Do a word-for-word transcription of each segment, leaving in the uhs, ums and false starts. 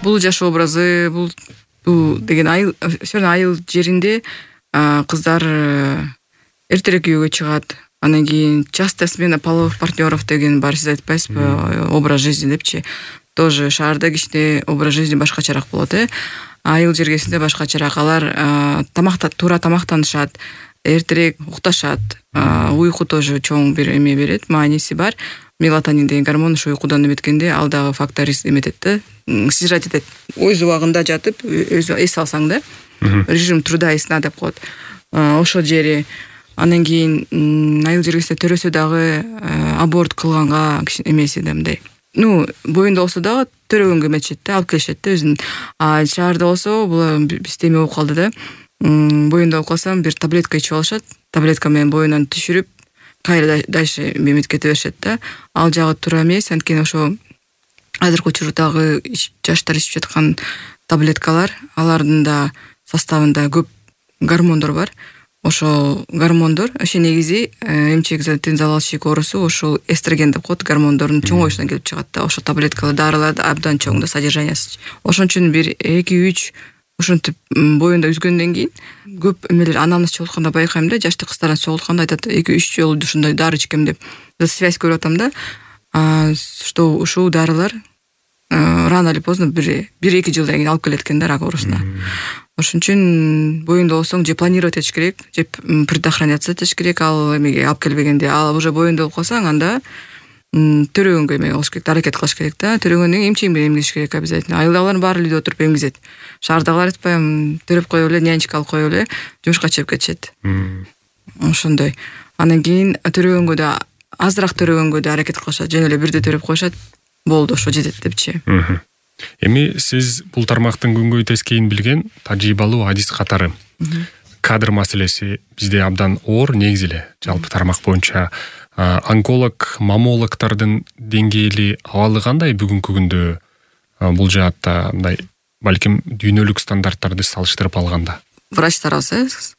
бул жаш образы, бул бул деген айыл, все равно айыл жеринде кыздар эртерээк үйгө чыгат. Анан кийин частая смена половых партнеров деген бар, сиз айтпайсызбы, образ жизни депчи. Тоже шаарда кичине образ жизни башкачараак болот, э. Айыл жергесинде башкачараак. Алар тамакта туура тамактанышат, эртерээк укташат. Уйку тоже чоң бир эме берет, мааниси бар. Мелатонин деген гормон ушу уйкудан эметкенде ал дагы фактор эметет да, снижать этет. Өз убагында жатып, өз эс алсаң да, режим труда и сна деп коет. Ошол жери. Анан кийин айыл жергесинде төрөсө дагы аборт кылганга эмеси да мындай. Ну, боюнда болсо дагы төрөгөнгө эметишет да, алып келишет да өзүн. А шаарда болсо бул бизде эме болуп калды да. Боюнда болуп калсам бир таблетка ичип алышат. Таблетка менен боюнан түшүрүп, кайра дальше эмет кете беришет да. Ал жагы туура эмес, анткени ошо азыркы учурдагы жаштар ичип жаткан таблеткалар, алардын да составында көп гормондор бар. Ошол гормондор, ошо негизи эмчек затын залалчылык оорусу ошол эстроген деп коет, гормондордун чоңоюшунан келип чыгат да. Ошо таблеткалар, дарылар абдан чоң да содержаниясы. Ошон үчүн бир эки үч ошентип боюнда үзгөндөн кийин көп эмелер анамыз чогултканда байкайм да, жаштык кыздардан чогултканда айтат эки үч жолу ушундай дары ичкем деп. Связь көрүп атам да. Что ушул дарылар рано или поздно бир эки жылдан кийин алып келет экен да рак оорусуна. Ошон үчүн боюнда болсоң же планировать этиш керек, же предохраняться этиш керек ал эмеге алып келбегенде. Ал уже боюнда болуп калсаң, анда төрөгөнгө эме кылыш керек, аракет кылыш керек да. Төрөгөндөн кийин эмчек менен эмгизиш керек обязательно. Айылдагылар баары үйдө отуруп эмгизет. Шаардагылар айтпайм, төрөп коюп эле, нянечка алып коюп эле, жумушка чыгып кетишет. Ошондой. Анан кийин төрөгөнгө да азыраак төрөгөнгө да аракет кылышат, жөн эле бирде төрөп коюшат. Болду, ошо жетет депчи. Эми сиз бул тармактын күнгөй тескейин билген тажрыйбалуу адис катары. Кадр маселеси бизде абдан оор негизи эле жалпы тармак боюнча. Онколог, маммологдордун деңгээли абалы кандай бүгүнкү күндө бул жаатта, мындай балким дүйнөлүк стандарттарды салыштырып алганда? Врачтарыбыз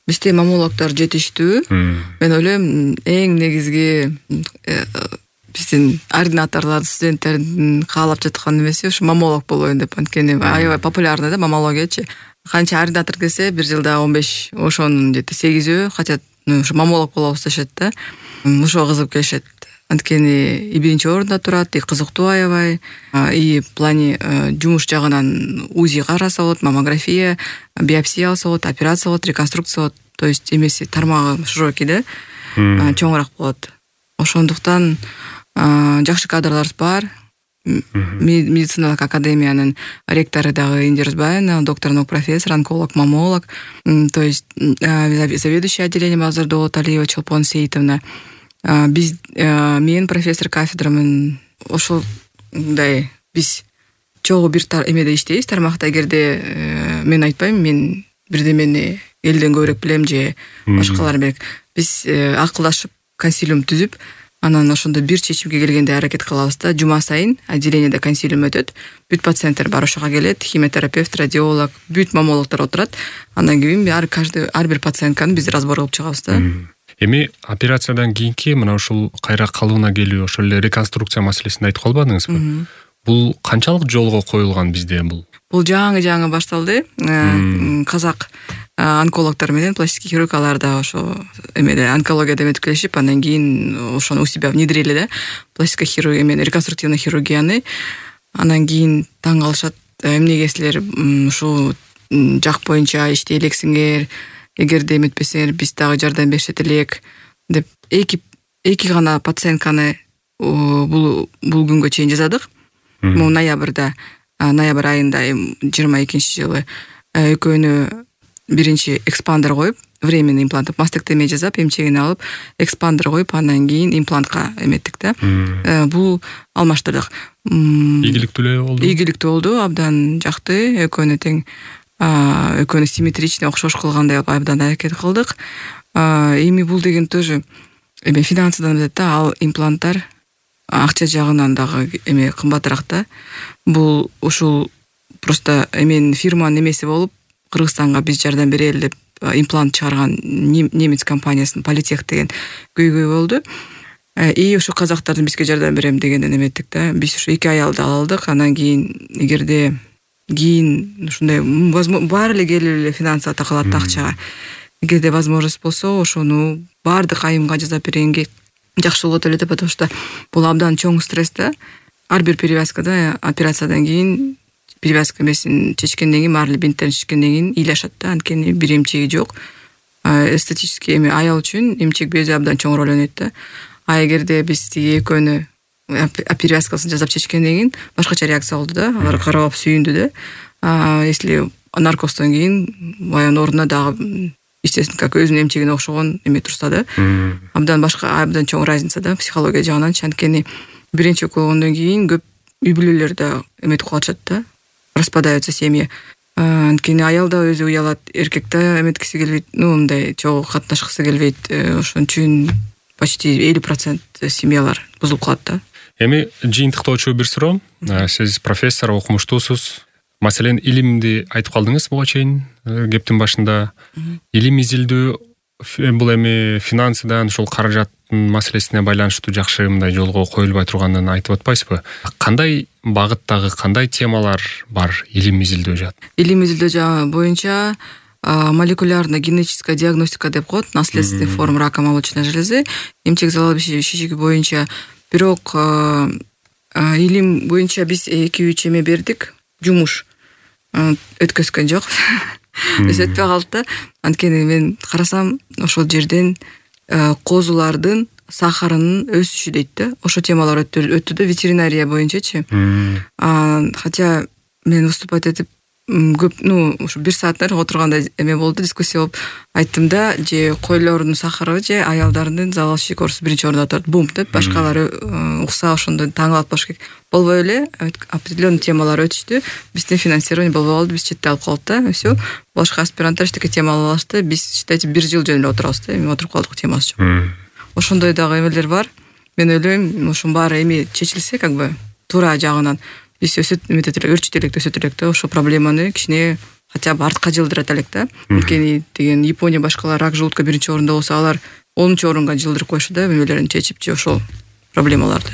бизде маммологдор жетиштүү. Мен ойлойм, эң негизги биздин ординаторлор, студенттердин каалап жаткан эмеси ушу маммолог болоюн деп, анткени аябай популярный да маммологиячы. Канча ординатор келсе, бир жылда он беш, ошонун жети сегизөө хотят ушу маммолог болобуз дешет да. Ошо кызыгып келишет. Анткени и биринчи орунда турат, и кызыктуу аябай, и в плане жумуш жагынан УЗИ караса болот, маммография, биопсия алса болот, операция болот, реконструкция болот. То есть эмеси тармагы широкий да, чоңураак болот. Ошондуктан жакшы кадрларыбыз бар. Медициналык академиянын ректору дагы Индира Рузбаевна, доктор наук профессор, онколог, маммолог. То есть заведующий отделением Азырдоо болот Алиева Чолпон Сейитовна. Биз мен профессор кафедрамын. Ошолдай биз чогуу бир эмеде иштейбиз тармакта. Эгерде мен айтпайм, мен бирдемени элден көбүрөөк билем же башкалар берек. Биз акылдашып консилиум түзүп, анан ошондо бир чечимге келгенде аракет кылабыз да. Жума сайын отделениеде консилиум өтөт. Бүт пациенттер бар ошого келет, химиотерапевт, радиолог, бүт маммологдор отурат. Андан кийин ар каждый ар бир пациентканы биз разбор кылып чыгабыз да. Эми операциядан кийинки мына ушул кайра калыбына келүү, ошол эле реконструкция маселесин айтып калбадыңызбы? Бул канчалык жолго коюлган бизде бул? Бул жаңы-жаңы башталды. Казак онкологдор менен пластический хирург алар да ошо эмеде онкологияда эметип келишип, андан кийин ошону у себя внедрили да. Пластическая хирургия менен реконструктивный хирургияны. Андан кийин таң калышат, эмнеге силер ушу жак боюнча иштей элексиңер, эгерде эметпесеңер биз дагы жардам беришет элек деп эки эки гана пациентканы бул бул күнгө чейин жазадык. Бул ноябрда, ноябрь айында жыйырма экинчи жылы экөөнү биринчи экспандер коюп, временный имплант, мастектомия жасап, эмчегин алып, экспандер коюп, андан кийин имплантка эметтик да. Бул алмаштырдык. Ийгиликтүү эле болду. Ийгиликтүү болду, абдан жакты, экөөнү тең, экөөнү симметричный окшош кылгандай абдан аракет кылдык. Эми бул деген тоже эме финансыдан эмет да, ал импланттар акча жагынан дагы эме кымбатыраак да. Бул ушул просто эменин фирманын эмеси болуп, Кыргызстанга биз жардам берели деп имплант чыгарган немец компаниясынын Политех деген көйгөй болду. и ошо казактардын бизге жардам берем дегенден эметтик да. Биз ошо эки аялды ала алдык. Анан кийин эгерде кийин ушундай баары эле келип эле финансага такалат акчага. Эгерде возможность болсо ошону баардык айымга жасап бергенге жакшы болот эле да, потому что бул абдан чоң стресс да. Ар бир перевязкада операциядан кийин перевязка эмесин чечкенден кийин, баары эле бинттерин чечкенден кийин ыйлашат да. Анткени бир эмчеги жок. Эстетический эми аял үчүн эмчек бези абдан чоң роль ойнойт да. А эгерде биз тиги экөөнү перевязкасын жасап чечкенден кийин башкача реакция болду да. Алар карап сүйүндү да. А если наркостон кийин баягы ордуна дагы естественно как өзүнүн эмчегине окшогон эме турса да. Абдан башка абдан чоң разница да психология жагынан. Анткени биринчи болгондон кийин көп үй бүлөлөр да эметип калышат да. Распадаются семьи. Анткени аял да өзү уялат, эркек да эметкиси келбейт, ну мындай чогуу катнашкысы келбейт. Ошон үчүн почти элүү процент семьялар бузулуп калат да. Эми жыйынтыктоочу бир суроо. Сиз профессор, окумуштуусуз. Маселен, илимди айтып калдыңыз буга чейин кептин башында. Илим изилдөө бул эми финансыдан, ушул каражаттын маселесине байланыштуу жакшы мындай жолго коюлбай турганын айтып атпайсызбы? Кандай багыттагы, кандай темалар бар илим изилдөө жаат? Илим изилдөө боюнча молекулярно генетическая диагностика деп коет, наследственный форм рака молочной железы, эмчек залал шишиги боюнча. Бирок илим боюнча биз эки үч эме бердик, жумуш өткөзгөн жок. Биз өтпөй калды. Анткени мен карасам ошол жерден козулардын сахарынын өсүшү дейт да. Ошо темалар өттү да, ветеринария боюнчачы. Хотя мен выступать этип көп, ну, ушу бир сааттар отурганда эме болду, дискуссия болуп айттым да, же койлордун сахары же аялдардын залал шишик оорусу биринчи орунда турат. Бум деп башкалары укса ошондо таң калып болуш керек. Болбой эле определенный темалар өтүштү. Биздин финансирование болбой калды, биз четте алып калдык да. Всё. Башка аспиранттар эчтеке тема ала алышты. Биз считайте бир жыл жөн эле отурабыз да. Эми отуруп калдык, темасы жок. Ошондой дагы эмелер бар. Мен ойлойм, ушунун баары эми чечилсе, как бы туура жагынан биз өсөт эметет элек, өрчүт элек, өсөт элек да. Ошо проблеманы кичине хотя бы артка жылдырат элек да. Анткени деген Япония башкалар рак желудка биринчи орунда болсо, алар онунчу орунга жылдырып коюшат да, эмелерин чечип же ошол проблемаларды.